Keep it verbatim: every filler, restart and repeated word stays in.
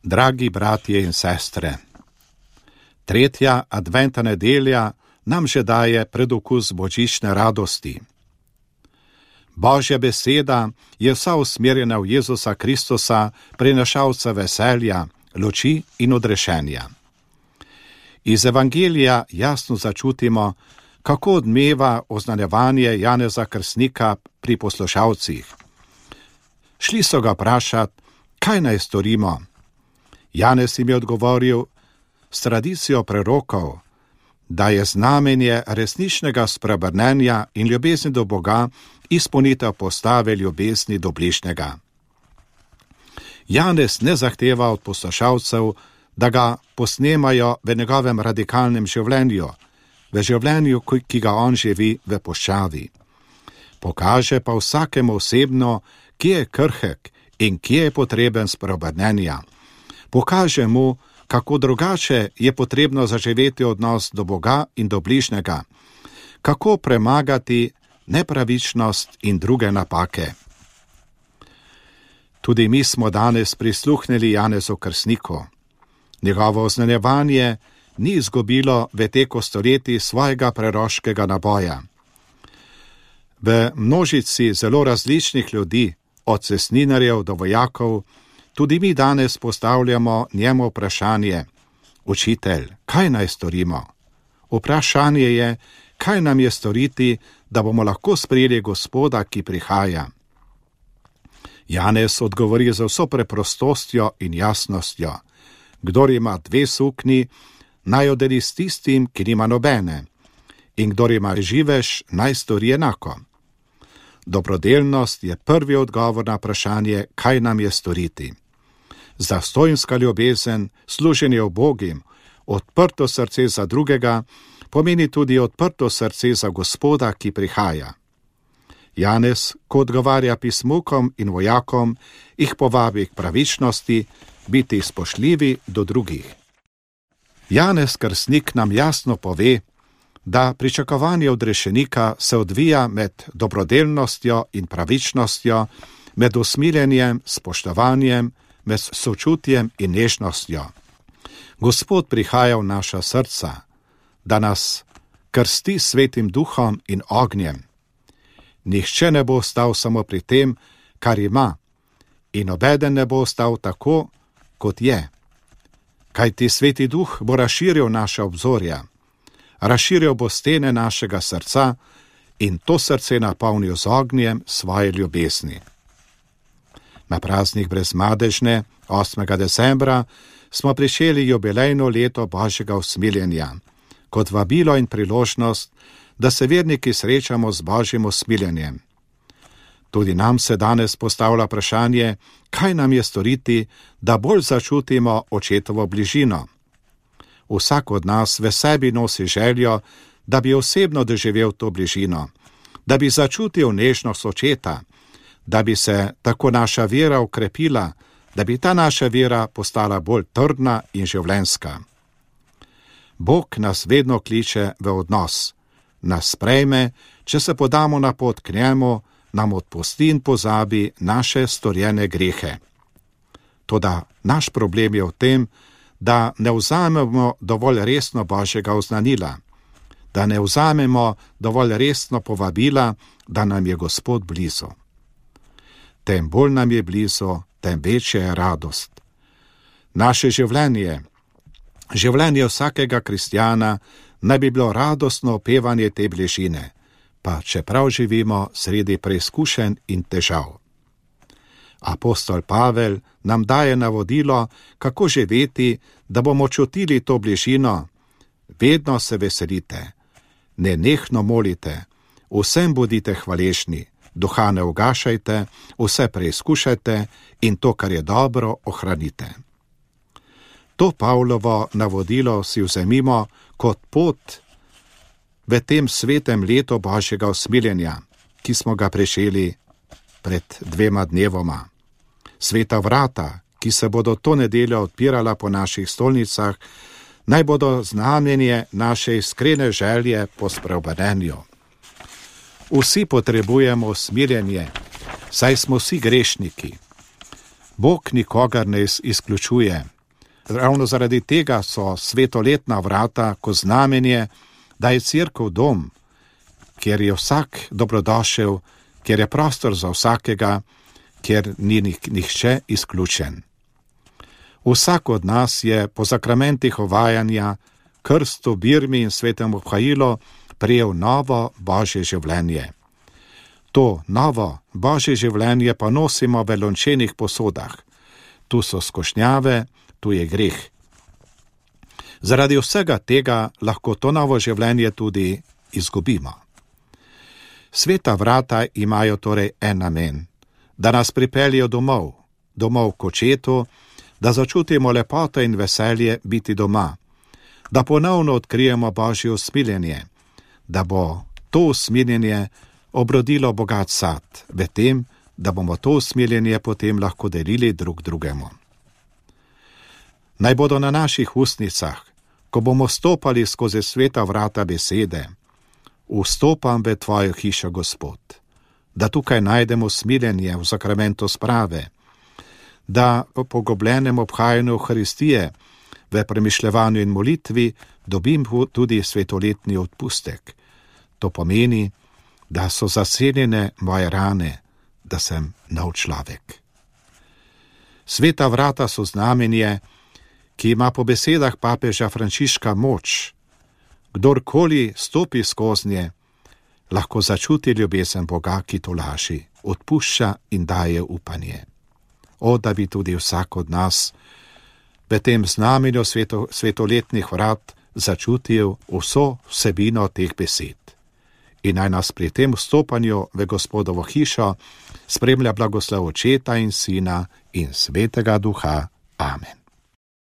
Dragi bratje in sestre, tretja adventna nedelja nam že daje predokus božične radosti. Božja beseda je vsa usmerjena v Jezusa Kristusa, prinašalca veselja, luči in odrešenja. Iz evangelija jasno začutimo, kako odmeva oznanjevanje Janeza Krstnika pri poslušalcih. Šli so ga vprašat, kaj naj storimo. Janez jim je odgovoril s tradicijo prerokov, da je znamenje resničnega spreobrnenja in ljubezni do Boga izpolnitev postave ljubezni do bližnjega. Janez ne zahteva od poslušalcev, da ga posnemajo v njegovem radikalnem življenju, v življenju, ki ga on živi v puščavi. Pokaže pa vsakemu osebno, kje je krhek in kje je potreben spreobrnenja. Pokaže mu, kako drugače je potrebno zaživeti odnos do Boga in do bližnjega, kako premagati nepravičnost in druge napake. Tudi mi smo danes prisluhnili Janezu Krstniku. Njegovo oznanjevanje ni izgubilo v teku stoletij svojega preroškega naboja. V množici zelo različnih ljudi, od cestninarjev do vojakov, tudi mi danes postavljamo njemu vprašanje: Učitelj, kaj naj storimo? Vprašanje je, kaj nam je storiti, da bomo lahko sprejeli Gospoda, ki prihaja. Janez odgovori z vso preprostostjo in jasnostjo: Kdor ima dve sukni, naj jo deli s tistim, ki nima nobene, in kdor ima živež, naj stori enako. Dobrodelnost je prvi odgovor na vprašanje, kaj nam je storiti. Zastojnska ljubezen, služenje ubogim, odprto srce za drugega, pomeni tudi odprto srce za Gospoda, ki prihaja. Janez, ko odgovarja pismukom in vojakom, jih povabi k pravičnosti, biti spoštljivi do drugih. Janez Krstnik nam jasno pove, da pričakovanje odrešenika se odvija med dobrodelnostjo in pravičnostjo, med usmiljenjem, spoštovanjem, med sočutjem in nežnostjo. Gospod prihaja v naša srca, da nas krsti svetim duhom in ognjem. Nihče ne bo ostal samo pri tem, kar ima, in nobeden ne bo ostal tako, kot je. Kajti sveti duh bo razširil naša obzorja, razširil bo stene našega srca in to srce napolnil z ognjem svoje ljubezni. Na praznik brezmadežne, osmega decembra, smo prišeli jubilejno leto Božjega usmiljenja, kot vabilo in priložnost, da se verniki srečamo z Božjim usmiljenjem. Tudi nam se danes postavlja vprašanje, kaj nam je storiti, da bolj začutimo očetovo bližino. Vsak od nas v sebi nosi željo, da bi osebno doživel to bližino, da bi začutil nežnost očeta, da bi se tako naša vera okrepila, da bi ta naša vera postala bolj trdna in življenjska. Bog nas vedno kliče v odnos, nas sprejme, če se podamo na pot k njemu, nam odpusti in pozabi naše storjene grehe. Toda naš problem je v tem, da ne vzamemo dovolj resno Božjega oznanila, da ne vzamemo dovolj resno povabila, da nam je Gospod blizu. Tem bolj nam je blizu, tem večja je radost. Naše življenje, življenje vsakega kristjana, naj bi bilo radostno opevanje te bližine, pa čeprav živimo sredi preizkušenj in težav. Apostol Pavel nam daje navodilo, kako živeti, da bomo čutili to bližino. Vedno se veselite, nenehno molite, vsem bodite hvaležni, duha ne ugašajte, vse preizkušajte in to, kar je dobro, ohranite. To Pavlovo navodilo si vzemimo kot pot v tem svetem letu Božjega usmiljenja, ki smo ga prešeli pred dvema dnevoma. Sveta vrata, ki se bodo to nedeljo odpirala po naših stolnicah, naj bodo znamenje naše iskrene želje po spreobrnenju. Vsi potrebujemo usmiljenje, saj smo vsi grešniki. Bog nikogar ne izključuje, Ravno zaradi tega so svetoletna vrata kot znamenje, da je cerkev dom, kjer je vsak dobrodošel, kjer je prostor za vsakega, kjer ni nihče izključen. Vsak od nas je po sakramentih ovajanja, krstu, birmi in svetemu obhajilu prejel novo Božje življenje. To novo Božje življenje pa nosimo v lončenih posodah. Tu so skušnjave, tu je greh. Zaradi vsega tega lahko to novo življenje tudi izgubimo. Sveta vrata imajo torej en namen, da nas pripeljejo domov, domov k očetu, da začutimo lepoto in veselje biti doma, da ponovno odkrijemo Božje usmiljenje, da bo to usmiljenje obrodilo bogat sad, v tem, da bomo to usmiljenje potem lahko delili drug drugemu. Naj bodo na naših ustnicah, ko bomo stopali skozi sveta vrata besede: vstopam v tvojo hišo, Gospod, da tukaj najdemo smiljenje v sakramentu sprave, da po pogobljenem obhajanju Euharistije, v premišljevanju in molitvi dobim tudi svetoletni odpustek. To pomeni, da so zaseljene moje rane, da sem nov človek. Sveta vrata so znamenje, ki ima po besedah papeža Frančiška moč. Kdorkoli stopi skoznje, lahko začuti ljubezen Boga, ki tolaži, odpušča in daje upanje. O, da bi tudi vsak od nas v tem znamenju sveto, svetoletnih vrat začutil vso vsebino teh besed. In naj nas pri tem vstopanju v Gospodovo hišo spremlja blagoslov Očeta in Sina in Svetega Duha. Amen.